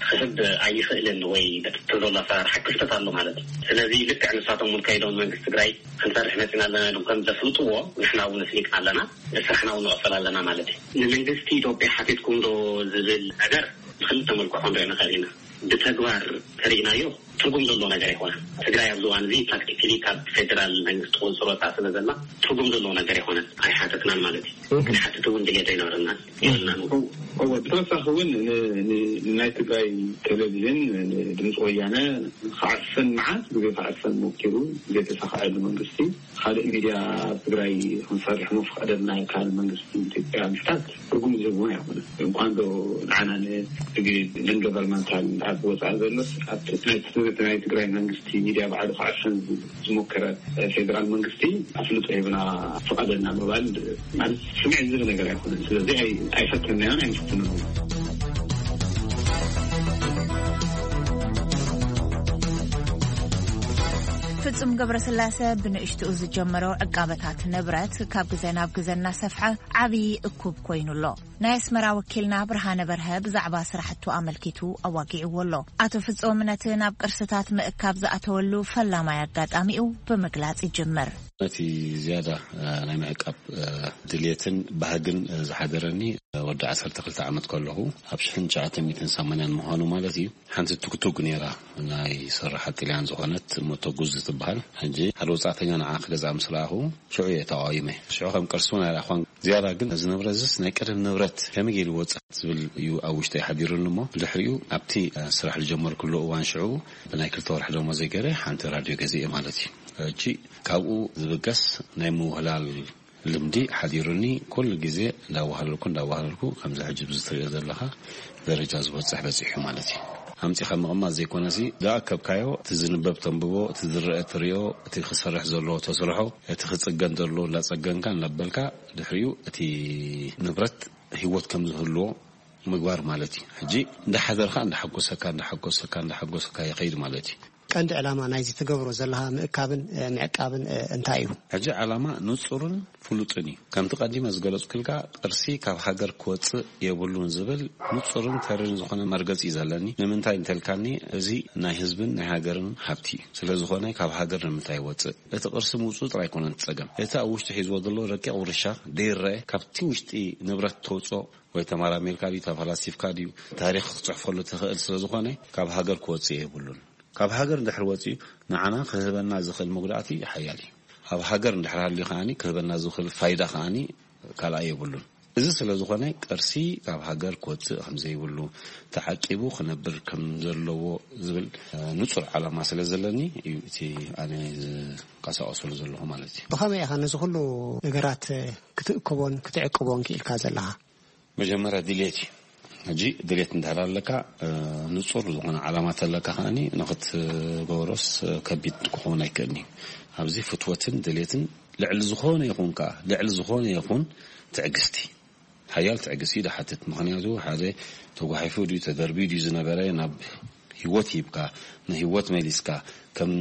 ክህብ ኣይኽእልን ወይ በቲ ዘሎ ኣሰራርሓ ክፍተት ኣሎ ማለት እዩ። ስለዚ ልክዕ ንሳቶም እውን ከይዶም መንግስቲ ትግራይ ክንሰርሕ መፂና ኣለና ኢሎም ከም ዘፍልጥዎ ንሕና እውን ኣፍሊጥና ኣለና፣ ስራሕና እውን ንቐፅል ኣለና ማለት እዩ። ንመንግስቲ ኢትዮጵያ ሓቲትኩም ዶ ዝብል ነገር ብክልተ መልክዑ ክንሪኦ ንኽእል ኢና። ብተግባር ተሪእናዮ ትርጉም ዘለዎ ነገር ኣይኮነን። ትግራይ ኣብዚ እዋን እዚ ፕራክቲካሊ ካብ ፌደራል መንግስቲ ቁፅፅር ወፃእ ስለ ዘላ ትርጉም ዘለዎ ነገር ኣይኮነን፣ ኣይሓተትናን ማለት እዩ። ክንሓትት እውን ድሌት ኣይነበረናን፣ የብልናን እውን። እወ፣ ብተወሳኺ እውን ን-፣ ን-፣ ንናይ ትግራይ ቴሌቪዥን፣ ንድምፂ ወያነ ክዓፍን፣ መዓት ግዜ ክዓፍን ሞኪሩ፣ ዘይተሳኽዐሉ መንግስቲ፣ ካልእ ሚድያ ኣብ ትግራይ ክንሰርሕ ምፍቀደልና ካልእ መንግስቲ ኢትዮጵያ ምሕታት ትርጉም ዝህብ እውን ኣይኮነን። እንኳን ዶ ንዓና ንግድ ንን ገቨርንመንታል ኣብ ወፃኢ ዘሎስ ኣብቲ ናይ፣ ናይ ትግራይ መንግስቲ ሚድያ ባዕሉ ክዓፍን ዝሞከረ ፌደራል መንግስቲ ኣፍልጦ ሂብና ፍቀደልና ምባል ማለት ስምዒት ዝህብ ነገር ኣይኮነን። ስለዚ ኣይ-፣ ኣይፈተንናዮን ኣይንፍትንን። ፍጹም ገብረስላሰ ብንእሽትኡ ዝጀመሮ ዕቃበታት ንብረት ካብ ግዜ ናብ ግዜ እናሰፍሐ ዓብዪ እኩብ ኮይኑ ኣሎ። ናይ ኣስመራ ወኪልና ብርሃነ በርሀ ብዛዕባ ስራሕቱ ኣመልኪቱ ኣዋጊዕዎ ኣሎ። ኣቶ ፍጹም ነቲ ናብ ቅርስታት ምእካብ ዝኣተወሉ ፈላማይ ኣጋጣሚኡ ብምግላጽ ይጅምር። ነቲ ዝያዳ፣ እ፣ ናይ ምዕቃብ፣ እ፣ ድልየትን ባህግን፣ እ፣ ዝሓደረኒ፣ እ፣ ወዲ ዓሰርተ ክልተ ዓመት ከለኹ ኣብ ሽሕን ትሽዓተ ሚእትን ሰማንያን ምዃኑ ማለት እዩ። ሓንቲ ቱክቱክ ነይራ፣ ናይ ሰራሓት ጥልያን ዝኾነት ሞቶጉዝ ትበሃል። ሕጂ ሓደ ወጻእተኛ ንዓ ክገዝኣ ምስ ረኣኹ ሽዑ እየ ተቓዊመ። ሽዑ ከም ቅርሲ እውን ኣይረኣኽዋን። ዝያዳ ግን እዚ ንብረት እዚስ ናይ ቀደም ንብረት ከመይ ገይሩ ይወጽእ ዝብል እዩ ኣብ ውሽጠይ ሓዲሩኒ እሞ፣ ብድሕሪኡ ኣብቲ፣ እ፣ ስራሕ ዝጀመርኩሉ እዋን ሽዑ ብናይ ክልተ ወርሒ ደሞዘይ ገይረ ሓንቲ ራድዮ ገዚኤ ማለት እዩ። ሕጂ ካብኡ ዝብገስ ናይ ምውህላል ልምዲ ሓዲሩኒ፣ ኩሉ ግዜ እንዳዋህለልኩ፣ እንዳዋህለልኩ፣ ከምዚ ሕጂ ብዚ ትሪኦ ዘለኻ ደረጃ ዝበጽሕ በጺሑ ማለት እዩ። ኣምጺኻ ምቕማጥ ዘይኮነሲ፣ ዝኣከብካዮ፣ እቲ ዝንበብ ተንብቦ፣ እቲ ዝረአ ትሪኦ፣ እቲ ክሰርሕ ዘለዎ ተስርሖ፣ እቲ ክጽገን ዘለዎ እንዳጸገንካ፣ እንዳበልካ፣ ድሕሪኡ እቲ ንብረት ህይወት ከም ዝህልዎ ምግባር ማለት እዩ። ሕጂ እንዳሓደርካ፣ እንዳሓጎሰካ፣ እንዳሓጎሰካ፣ እንዳሓጎሰካ ይኸይድ ማለት እዩ። ቀንዲ ዕላማ ናይዚ ትገብሮ ዘለኻ ምእካብን ምዕቃብን እንታይ እዩ? ሕጂ ዓላማ ንጹርን ፍሉጥን እዩ። ከምቲ ቀዲመ ዝገለጽኩልካ፣ ቅርሲ ካብ ሃገር ክወጽእ የብሉን ዝብል ንጹርን ተርን ዝኾነ መርገጺ እዩ ዘለኒ። ንምንታይ እንተልካኒ፣ እዚ ናይ ህዝብን ናይ ሃገርን ሃብቲ እዩ። ስለ ዝኾነ ካብ ሃገር ንምንታይ ይወጽእ? እቲ ቅርሲ ምውጽኡ ጥራይ ኣይኮነን እቲ ጸገም። እቲ ኣብ ውሽጢ ሒዝዎ ዘሎ ረቂቕ ውርሻ ደይረአ፣ ካብቲ ውሽጢ ንብረት ተውጽኦ ወይ ተመራሚርካ ድዩ ተፈላሲፍካ ድዩ ታሪኽ ክትጽሕፈሉ ትኽእል ስለ ዝኾነ፣ ካብ ሃገር ክወጽእ የብሉን። ካብ ሃገር እንድሕር ወጺኡ ንዓና ክህበና ዝኽእል መጉዳእቲ ሓያል እዩ። ኣብ ሃገር እንድሕር ሃልዩ ከኣኒ ክህበና ዝኽእል ፋይዳ ከኣኒ ካልኣይ የብሉን። እዚ ስለ ዝኾነ ቅርሲ ካብ ሃገር ክወጽእ ከም ዘይብሉ፣ ተዓቂቡ ክነብር ከም ዘለዎ ዝብል ንጹር ዓላማ ስለ ዘለኒ እዩ እቲ ኣነ ዝንቀሳቐሰሉ ዘለኹ ማለት እዩ። ብኸመይ ኢኻ ነዚ ኩሉ ነገራት ክትእክቦን ክትዕቅቦን ክኢልካ ዘለኻ? መጀመርያ ድሌት እዩ። ሕጂ ድሌት እንድሕር ኣለካ፣ ንጹር ዝኾነ ዓላማ ተለካ ከኣኒ ንኽትገብሮስ ከቢድ ክኸውን ኣይክእልን እዩ። ኣብዚ ፍትወትን ድሌትን ልዕሊ ዝኾነ ይኹን ከኣ፣ ልዕሊ ዝኾነ ይኹን ትዕግስቲ፣ ሓያል ትዕግስቲ እዩ ዝሓትት። ምኽንያቱ ሓደ ተጓሒፉ ድዩ ተደርብዩ ድዩ ዝነበረ ናብ ህይወት ሂብካ፣ ንህይወት መሊስካ፣ ከም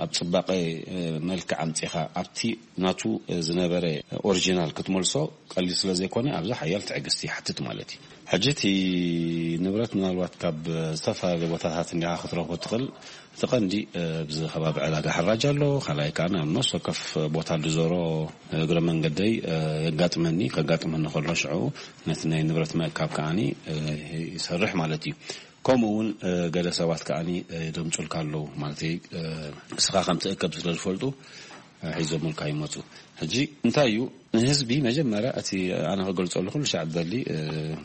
ኣብ ጽባቐ፣ እ፣ መልክዕ ኣምጺኻ፣ ኣብቲ ናቱ፣ እ፣ ዝነበረ ኦሪጂናል ክትመልሶ ቀሊል ስለ ዘይኮነ፣ ኣብዚ ሓያል ትዕግስቲ ይሓትት ማለት እዩ። ሕጂ እቲ ንብረት ምናልባት ካብ ዝተፈላለዩ ቦታታት እንዲኻ ክትረኽቦ ትኽእል። እቲ ቀንዲ፣ እ፣ ኣብዚ ከባቢ ዕዳጋ ሕራጅ ኣሎ። ካልኣይ ከኣ ኣብ ነፍሲ ወከፍ ቦታ ልዞሮ እግረ መንገደይ፣ እ፣ የጋጥመኒ። ከጋጥመኒ ከሎ ሽዑ ነቲ ናይ ንብረት ምእካብ ከኣኒ፣ እ፣ ይሰርሕ ማለት እዩ። ከምኡ እውን፣ እ፣ ገለ ሰባት ከኣኒ፣ እ፣ ይደምጹልካ ኣለዉ። ማለተይ፣ እ፣ ንስኻ ከም ትእከብ ስለ ዝፈልጡ፣ እ፣ ሒዞምልካ ይመጹ። ሕጂ እንታይ እዩ? ንህዝቢ መጀመርያ እቲ ኣነ ክገልጸሉ ኩሉ ሻዕ ዝደሊ፣ እ፣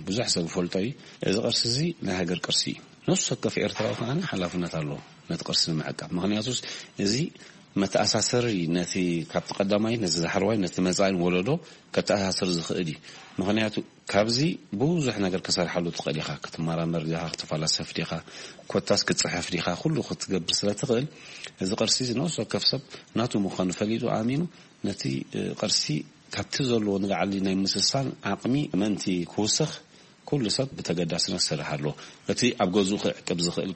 ብዙሕ ሰብ ዝፈልጦ እዩ። እዚ ቅርሲ እዚ ናይ ሃገር ቅርሲ እዩ። ነፍሲ ወከፍ ኤርትራዊ ከኣኒ ሓላፍነት ኣለዎ ነቲ ቅርሲ ንምዕቃብ። ምኽንያቱስ እዚ መተኣሳሰሪ ነቲ ካብቲ ቀዳማይ ነቲ ዳሕረዋይ ነቲ መጻኢን ወለዶ ከተኣሳስር ዝኽእል እዩ። ምኽንያቱ ካብዚ ብዙሕ ነገር ክሰርሓሉ ትኽእል ኢኻ። ክትመራመር ዲኻ፣ ክትፈላሰፍ ዲኻ፣ ኮታስ ክትጽሕፍ ዲኻ፣ ኩሉ ክትገብር ስለ ትኽእል፣ እዚ ቅርሲ እዚ ነፍሲ ወከፍ ሰብ ናቱ ምዃኑ ፈሊጡ ኣሚኑ ነቲ፣ እ፣ ቅርሲ ካብቲ ዘለዎ ንላዕሊ ናይ ምስሳን ዓቕሚ ምእንቲ ክውስኽ ኩሉ ሰብ ብተገዳስነት ክሰርሕ ኣለዎ። እቲ ኣብ ገዝኡ ክዕቅብ ዝኽእል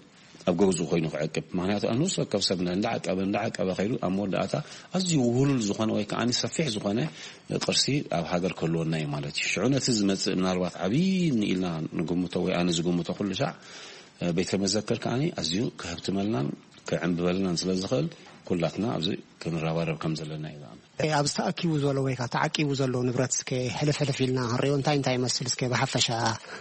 ኣብ ገዝኡ ኮይኑ ክዕቅብ። ምኽንያቱ ኣብ ነፍሲ ወከፍ ሰብ እንዳዓቀበ እንዳዓቀበ ከይዱ ኣብ መወዳእታ ኣዝዩ ውህሉል ዝኾነ ወይ ከኣ ሰፊሕ ዝኾነ ቅርሲ ኣብ ሃገር ክህልወና እዩ ማለት እዩ። ሽዑ ነቲ ዝመጽእ ምናልባት ዓብዪ ኢልና ንግምቶ ወይ ኣነ ዝግምቶ ኩሉ ሻዕ ቤተ መዘክር ከኣ ኣዝዩ ክህብትመልናን ክዕንብበልናን ስለ ዝኽእል ኩላትና ኣብዚ ክንረባረብ ከም ዘለና እዩ ዝኣምን። ኣብዚ ተኣኪቡ ዘሎ ወይ ከዓ ተዓቂቡ ዘሎ ንብረት እስከ ሕልፍ ሕልፍ ኢልና ክንሪኦ እንታይ እንታይ ይመስል እስከ ብሓፈሻ?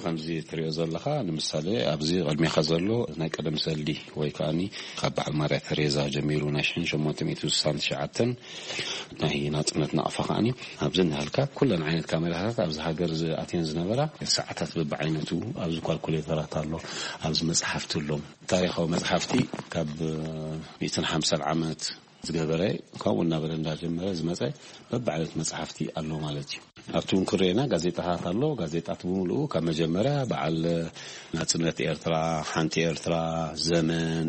ከምዚ ትሪኦ ዘለኻ ንምሳሌ ኣብዚ ቅድሜኻ ዘሎ ናይ ቀደም ሰልዲ ወይ ከኣኒ ካብ በዓል ማርያ ተሬዛ ጀሚሩ ናይ ሽሕን ሸሞንተ ሚእትን ስሳን ትሽዓተን ናይ ናጽነት ናቕፋ ከኣኒ ኣብዚ እናሃልካ ኩለን ዓይነት ካሜራታት ኣብዚ ሃገር ዝኣትየን ዝነበራ ሰዓታት በብዓይነቱ ኣብዚ ኳልኩሌተራት ኣሎ፣ ኣብዚ መጽሓፍቲ ኣሎ። ታሪኻዊ መጽሓፍቲ ካብ ሚእትን ሓምሳን ዓመት ዝገበረ፣ ካብኡ እናበለ እንዳጀመረ ዝመጸ በብዓይነት መጽሓፍቲ ኣሎ ማለት እዩ። ኣብቲ እውን ክርኤና ጋዜጣታት ኣሎ። ጋዜጣት ብምሉኡ ካብ መጀመርያ በዓል ናጽነት ኤርትራ፣ ሓንቲ ኤርትራ፣ ዘመን፣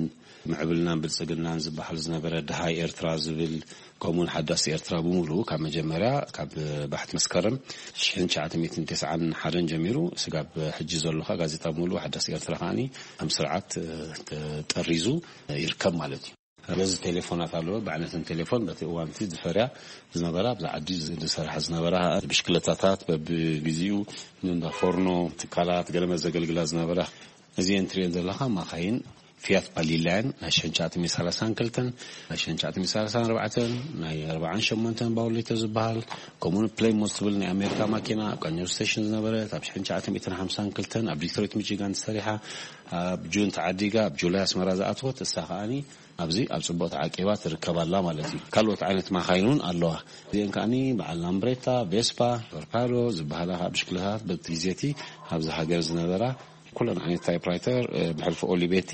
ምዕብልናን ብልጽግናን ዝበሃል ዝነበረ፣ ደሃይ ኤርትራ ዝብል፣ ከምኡውን ሓዳስ ኤርትራ ብምሉኡ ካብ መጀመርያ ካብ ባሕቲ መስከረም ሽሕን ትሽዓተ ሚእትን ተስዓን ሓደን ጀሚሩ ስጋብ ሕጂ ዘሎ ከኣ ጋዜጣ ብምሉኡ ሓዳስ ኤርትራ ከኣ ከም ስርዓት ተጠሪዙ ይርከብ ማለት እዩ። ነዚ ቴሌፎናት ኣለዎ። ብዓይነትን ቴሌፎን በቲ እዋን እቲ ዝፈርያ ዝነበራ ኣብዚ ዓዲ ዝሰርሓ ዝነበራ ብሽክለታታት በብግዜኡ ንእንዳ ፎርኖ ትካላት ገለመ ዘገልግላ ዝነበራ እዚአን ትሪኤን ዘለኻ ማኻይን ፊያት ፓሊላ እየን። ናይ ሽሕን ትሽዓተ ሚእትን ሰላሳን ክልተን፣ ናይ ሽሕን ትሽዓተ ሚእትን ሰላሳን ኣርባዕተን፣ ናይ ኣርባዓን ሸሞንተን ባውሊቶ ዝበሃል፣ ከምኡውን ፕሌይሞት ትብል ናይ ኣሜሪካ ማኪና ኣብ ቃኘው ስቴሽን ዝነበረት፣ ኣብ ሽሕን ትሽዓተ ሚእትን ሓምሳን ክልተን ኣብ ዲትሮይት ሚቺጋን ተሰሪሓ፣ ኣብ ጁን ተዓዲጋ ኣብ ጁላይ ኣስመራ ዝኣተወት፣ እሳ ከኣኒ ኣብዚ ኣብ ጽቡቕ ተዓቂባ ትርከብ ኣላ ማለት እዩ። ካልኦት ዓይነት ማኻይን እውን ኣለዋ። እዚአን ከኣኒ በዓል ላምብሬታ፣ ቬስፓ፣ ቶርፓዶ ዝበሃላ ከዓ ብሽክለታት በቲ ግዜ እቲ ኣብዚ ሃገር ዝነበራ ኩለን ዓይነት ታይፕራይተር፣ እ፣ ብሕልፊ ኦሊቬቲ፣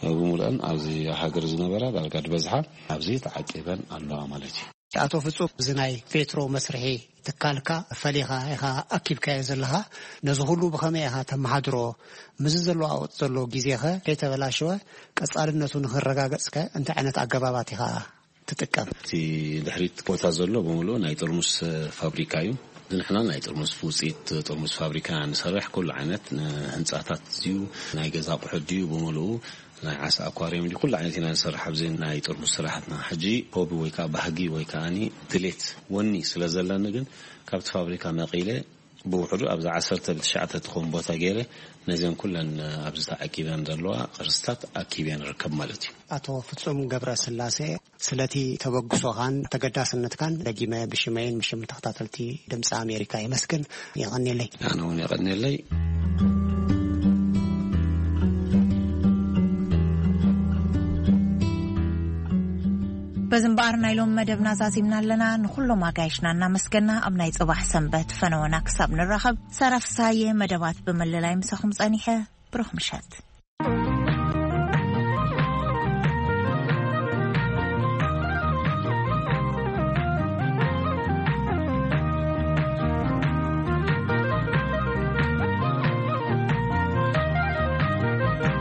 እ፣ ብምሉአን ኣብዚ ሃገር ዝነበራ ዳርጋ ዝበዝሓ ኣብዚ ተዓቂበን ኣለዋ ማለት እዩ። ኣቶ ፍጹም፣ እዚ ናይ ፔትሮ መስርሒ ትካልካ ፈሊኻ ኢኻ ኣኪብካዮ ዘለኻ። ነዚ ኩሉ ብኸመይ ኢኻ ተመሓድሮ? ምስዚ ዘለዋወጥ ዘሎ ግዜኸ ከይተበላሸወ ቀጻልነቱ ንኽረጋገጽከ እንታይ ዓይነት ኣገባባት ኢኻ ትጥቀም? እቲ ድሕሪት ቦታ ዘሎ ብምሉኡ ናይ ጥርሙስ ፋብሪካ እዩ። ንሕና ናይ ጥርሙስ ውፅኢት ጥርሙስ ፋብሪካ ንሰርሕ። ኩሉ ዓይነት ህንፃታት እዩ፣ ናይ ገዛ ኣቑሑት ድዩ ብምሉኡ፣ ናይ ዓሳ ኣኳርዮም ድዩ፣ ኩሉ ዓይነት ኢና ንሰርሕ ኣብዚ ናይ ጥርሙስ ስራሕትና። ሕጂ ሆቢ ወይ ከዓ ባህጊ ወይ ከዓኒ ድሌት ወኒ ስለ ዘለኒ ግን ካብቲ ፋብሪካ መቒለ ብውሕዱ ኣብዛ ዓሰርተ ብትሽዓተ ትኾን ቦታ ገይረ ነዚን ኩለን ኣብዚ ተዓቂበን ዘለዋ ቅርስታት ኣኪበ ንርከብ ማለት እዩ። ኣቶ ፍጹም ገብረ ስላሴ፣ ስለቲ ተበግሶኻን ተገዳስነትካን ደጊመ ብሽመይን ብሽም ተኸታተልቲ ድምፂ ኣሜሪካ የመስግን። የቐንየለይ። ኣነ እውን የቐንየለይ። በዚ እምበኣር ናይ ሎም መደብና ዛዚምና ኣለና። ንኹሎም ኣጋይሽና እናመስገና ኣብ ናይ ጽባሕ ሰንበት ፈነወና ክሳብ ንራኸብ፣ ሰራፍሳየ መደባት ብምልላይ ምሳኹም ጸኒሐ። ብሩኽ ምሸት።